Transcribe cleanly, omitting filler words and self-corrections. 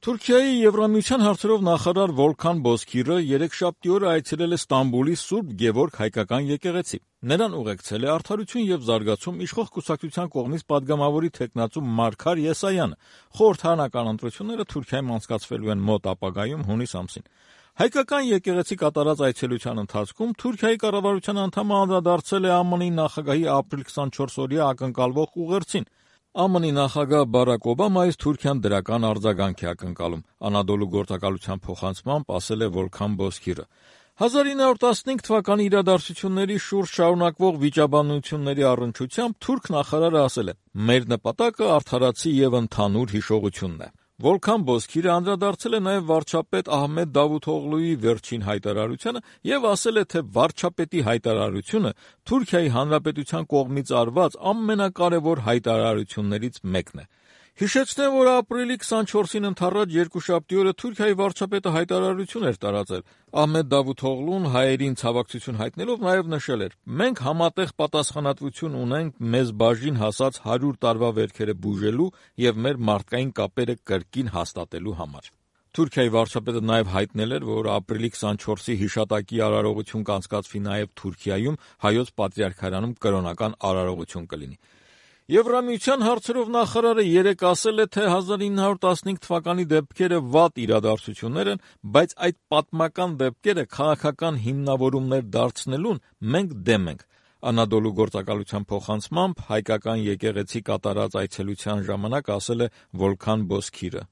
Թուրքիայի Եվրամիության հարցերով նախարար Վոլքան Բոզքիրը երեքշաբթի օրը այցելել է Ստամբուլի Սուրբ Գևորգ հայկական եկեղեցի։ Նրան ուղեկցել է Արդարություն եւ զարգացում իշխող կուսակցության կողմից падգամավորի թեկնածու Մարգար Եսայանը։ Խորհրդարանական ընտրությունները Թուրքիայում անցկացվելու են մոտ ապագայում հունիս ամսին։ Հայկական եկեղեցի կատարած այցելության ընթացքում Թուրքիայի կառավարության անդամը անդրադարձել է ԱՄՆ-ի նախագահի ապրիլ 24-օրյա ակնկալվող ուղերձին։ ԱՄՆ-ի նախագահ Բարակ Օբամայից Թուրքիան դրական արձագանք է ակնկալում, Անադոլու գործակալության փոխանցմամբ ասել է Վոլքան Բոզքիրը։ 1915 թվականի իրադարձությունների շուրջ շարունակվող վիճաբանությունների առնչությամբ թուրք նախարարը ասել է. «Մեր նպատակը արդարացի եւ ընդհանուր հիշողությունն է»։ Վոլքան Բոզքիրը անդրադարձել է նաև վարչապետ Ահմեդ Դավութօղլուի վերջին հայտարարությանը եւ ասել է, թե վարչապետի հայտարարությունը Թուրքիայի Հանրապետության կողմից արված ամենակարևոր հայտարարություններից մեկն է։ Հիշեցնեմ, որ ապրիլի 24-ին ընդառաջ երկուշաբթի օրը Թուրքիայի վարչապետը հայտարարություն էր տարածել։ Ահմեդ Դավութօղլուն հայերին ցավակցություն հայտնելով նաև նշել էր. «Մենք համատեղ պատասխանատվություն ունենք մեզ բաժին հասած 100 տարվա վերքերը բուժելու եւ մեր մարդկային կապերը կրկին հաստատելու համար»։ Թուրքիայի վարչապետը նաև հայտնել էր, որ ապրիլի 24-ի հիշատակի արարողություն կանցկացվի նաև Թուրքիայում, Հայոց Պատրիարքարանում կրոնական արարողություն կլինի։ Եվրամիության հարցերով նախարարը երեկ ասել է, թե 1915 թվականի դեպքերը վատ իրադարձություններ են, բայց այդ պատմական դեպքերը քաղաքական հիմնավորումներ դարձնելուն մենք դեմ ենք։ Անադոլու գործակալության փոխանցմամբ հայկական եկեղեցի կատարած այցելության ժամանակ ասել է Վոլքան Բոզքիրը։